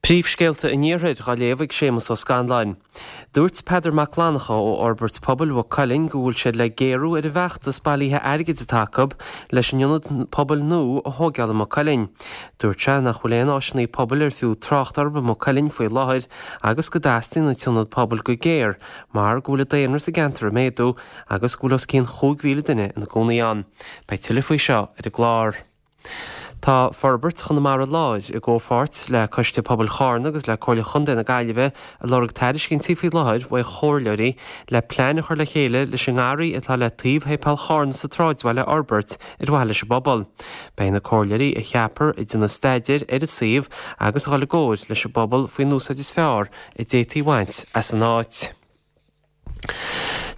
Príomhscéalta an Iarthair á léamh ag Séamus Ó Scanláin. Dúirt Peadar Mac Fhlannchadha ó Fhorbairt Pobail Mhaigh Cuilinn go bhfuil siad le géarú ar an bhfeachtas bailithe airgid atá acu leis an ionad pobail nua a thóigeáil i Maigh Cuilinn. Dúirt sé nach bhfuil aon áiseanna pobail ar fiú trácht orthu i Maigh Cuilinn faoi láthair agus go dteastaíonn an t-ionad pobail go géar mar go bhfuil an daonra sa gceantar ag méadú agus go bhfuil os cionn 5,000 duine ina gcónaí ann. Beidh tuilleadh faoi seo ar an gclár. Tá Forbairt Chonamara Láir, i gcomhpháirt le Coiste Pobail Charna agus le Comhairle Chontae na Gaillimhe, ag lorg tairiscintí faoi láthair uaidh chomhairleoirí le plean a chur le chéile leis an ngarraí atá le taobh Shéipéal Charna sa tsráidbhaile a fhorbairt ar mhaithe leis an bpobal. Beidh na comhairleoirí a cheapfar ag déanamh staidéir ar an suíomh agus a dhul i gcomhair leis an bpobal faoin úsáid is fearr a d'fhéadfaí a bhaint as an áit.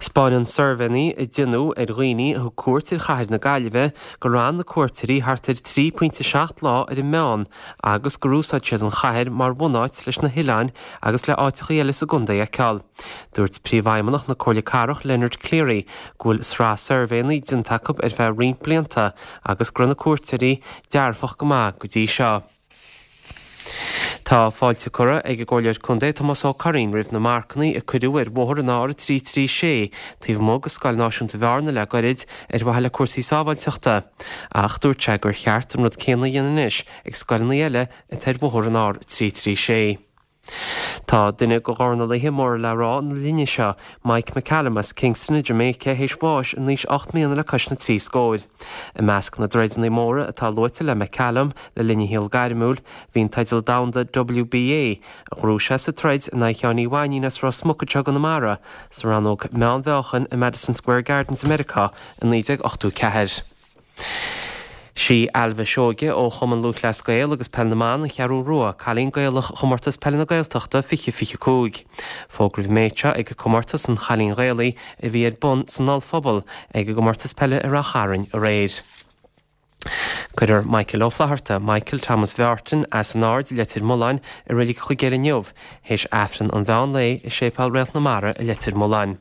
'Spáineann suirbhéanna a deineadh ar dhaoine a thug cuairt ar chathair na Gaillimhe gur fhan na cuairteoirí thart ar 3.7 lá ar an meán agus gur úsáid siad an chathair mar bhunáit leis na hoileáin agus le áiteachaí eile sa gcontae a fheiceáil. Dúirt Príomhfheidhmeannach na Comhairle Cathrach Leonard Cleary go bhfuil sraith suirbhéanna déanta acu ar feadh roinnt blianta agus go raibh na cuairteoirí dearfach go maith go dtí seo. Tá fáilte curtha ag an gComhairleoir Contae Tomás Ó Curraoin roimh na marcanna a cuireadh ar bhóthar an R336 taobh amuigh de Scoil Náisiúnta Bhearna le goirid ar mhaithe le cúrsaí sábháilteachta. Ach dúirt sé gur cheart an rud céanna a dhéanamh anois ag scoileanna eile atá ar bhóthar an R336. Tá duine de dhornálaithe móra le rá na linne seo, Mike McCallum as Kingston i Jamaica, théis bháis in aois 8 mbliana le cois na dtrí scóir. I measc na dtroideanna móra atá luaite le McCallum le linn a shaol gairmiúil, bhí an teideal domhanda WBA, a ghnóthaigh sé sa troid in aghaidh Sheáin Uí Mhainín as Ros Muc anseo i gConamara, sa rannóg meánmheáchain i Madison Square Gardens i Meiriceá i 1984. Sí Ailbhe Seoige ó Chumann Lúthchleas Gael agus Peil na mBan, An Cheathrú Rua, Cailín Gaelach Chomórtas Peile na Gaeltachta 2025. Fógraíodh an méid seo ag Comórtas an Chailín Ghaelaigh a bhí ar bun san Ollphuball ag an gcomórtas peile i Rath Chairn aréir. Cuirfear Michael Ó Flatharta, Michael Thomas Bheairtle, as an Aird i Leitir Mealláin i Reilig Chuigéil inniu, théis Aifreann an mheán lae i Séipéal Réalt na Mara i Leitir Mealláin.